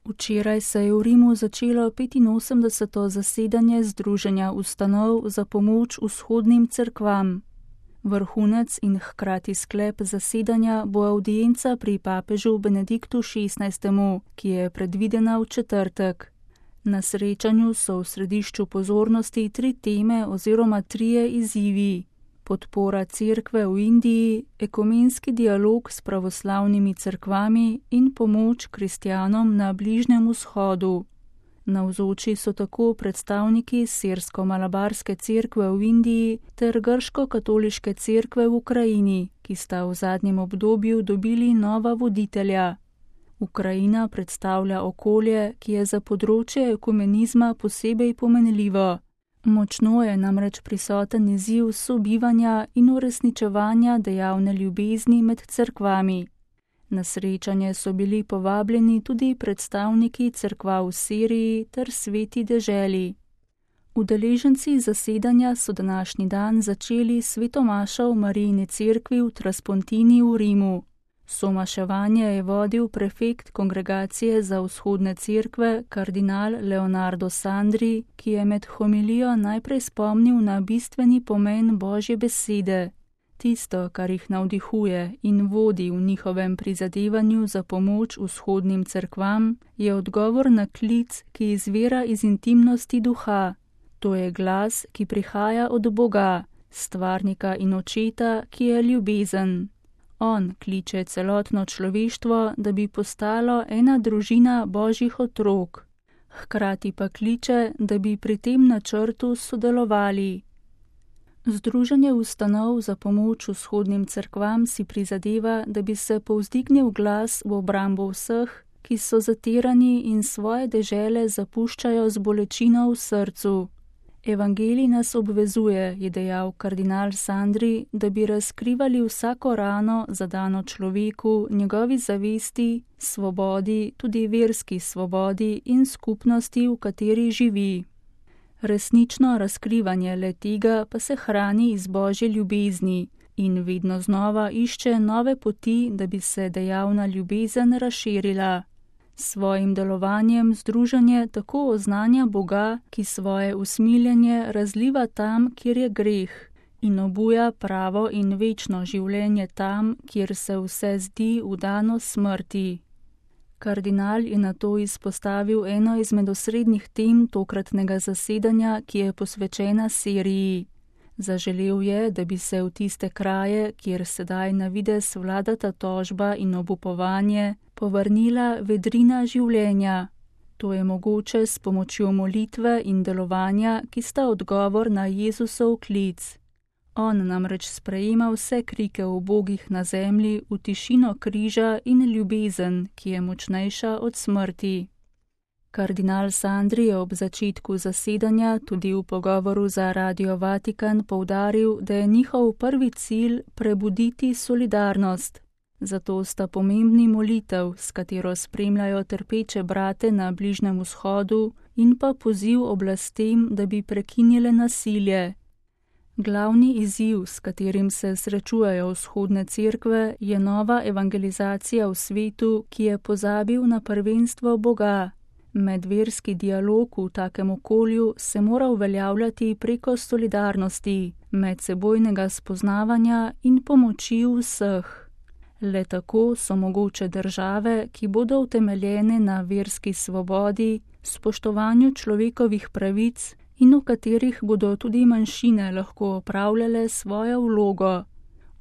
Včeraj se je v Rimu začelo 85. zasedanje Združenja ustanov za pomoč vzhodnim cerkvam. Vrhunec in hkrati sklep zasedanja bo avdienca pri papežu Benediktu XVI., ki je predvidena v četrtek. Na srečanju so v središču pozornosti 3 teme oziroma 3 izzivi: podpora cerkve v Indiji, ekumenski dialog s pravoslavnimi cerkvami in pomoč kristjanom na Bližnjem vzhodu. Navzoči so tako predstavniki sirsko-malabarske cerkve v Indiji ter grško-katoliške cerkve v Ukrajini, ki sta v zadnjem obdobju dobili nova voditelja. Ukrajina predstavlja okolje, ki je za področje ekumenizma posebej pomenljivo. Močno je namreč prisoten izziv sobivanja in uresničevanja dejavne ljubezni med cerkvami. Na srečanje so bili povabljeni tudi predstavniki cerkva v Siriji ter Sveti deželi. Udeleženci zasedanja so današnji dan začeli svetomašo v Marijini cerkvi v Traspontini v Rimu. Somaševanje je vodil prefekt Kongregacije za vzhodne cerkve kardinal Leonardo Sandri, ki je med homilijo najprej spomnil na bistveni pomen Božje besede. Tisto, kar jih navdihuje in vodi v njihovem prizadevanju za pomoč vzhodnim cerkvam, je odgovor na klic, ki izvira iz intimnosti duha. To je glas, ki prihaja od Boga, stvarnika in očeta, ki je ljubezen. On kliče celotno človeštvo, da bi postalo ena družina Božjih otrok. Hkrati pa kliče, da bi pri tem načrtu sodelovali. Združenje ustanov za pomoč vzhodnim cerkvam si prizadeva, da bi se povzdignil glas v obrambo vseh, ki so zatirani in svoje dežele zapuščajo z bolečino v srcu. Evangelij nas obvezuje, je dejal kardinal Sandri, da bi razkrivali vsako rano zadano človeku, njegovi zavesti, svobodi, tudi verski svobodi in skupnosti, v kateri živi. Resnično razkrivanje le-tega pa se hrani iz Božje ljubezni in vedno znova išče nove poti, da bi se dejavna ljubezen razširila. S svojim delovanjem združenje tako oznanja Boga, ki svoje usmiljenje razliva tam, kjer je greh, in obuja pravo in večno življenje tam, kjer se vse zdi vdano smrti. Kardinal je nato izpostavil eno izmed osrednjih tem tokratnega zasedanja, ki je posvečena Siriji. Zaželel je, da bi se v tiste kraje, kjer sedaj na videz vladata tožba in obupovanje, povrnila vedrina življenja. To je mogoče s pomočjo molitve in delovanja, ki sta odgovor na Jezusov klic. On namreč sprejema vse krike ubogih na zemlji v tišino križa in ljubezen, ki je močnejša od smrti. Kardinal Sandri je ob začetku zasedanja tudi v pogovoru za Radio Vatikan poudaril, da je njihov prvi cilj prebuditi solidarnost. Zato sta pomembni molitev, s katero spremljajo trpeče brate na Bližnjem vzhodu, in pa poziv oblastem, da bi prekinile nasilje. Glavni izziv, s katerim se srečujejo vzhodne cerkve, je nova evangelizacija v svetu, ki je pozabil na prvenstvo Boga. Medverski dialog v takem okolju se mora uveljavljati preko solidarnosti, medsebojnega spoznavanja in pomoči vseh. Le tako so mogoče države, ki bodo utemeljene na verski svobodi, spoštovanju človekovih pravic in v katerih bodo tudi manjšine lahko opravljale svojo vlogo.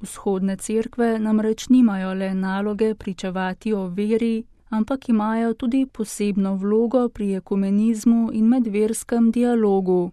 Vzhodne cerkve namreč nimajo le naloge pričevati o veri, ampak imajo tudi posebno vlogo pri ekumenizmu in medverskem dialogu.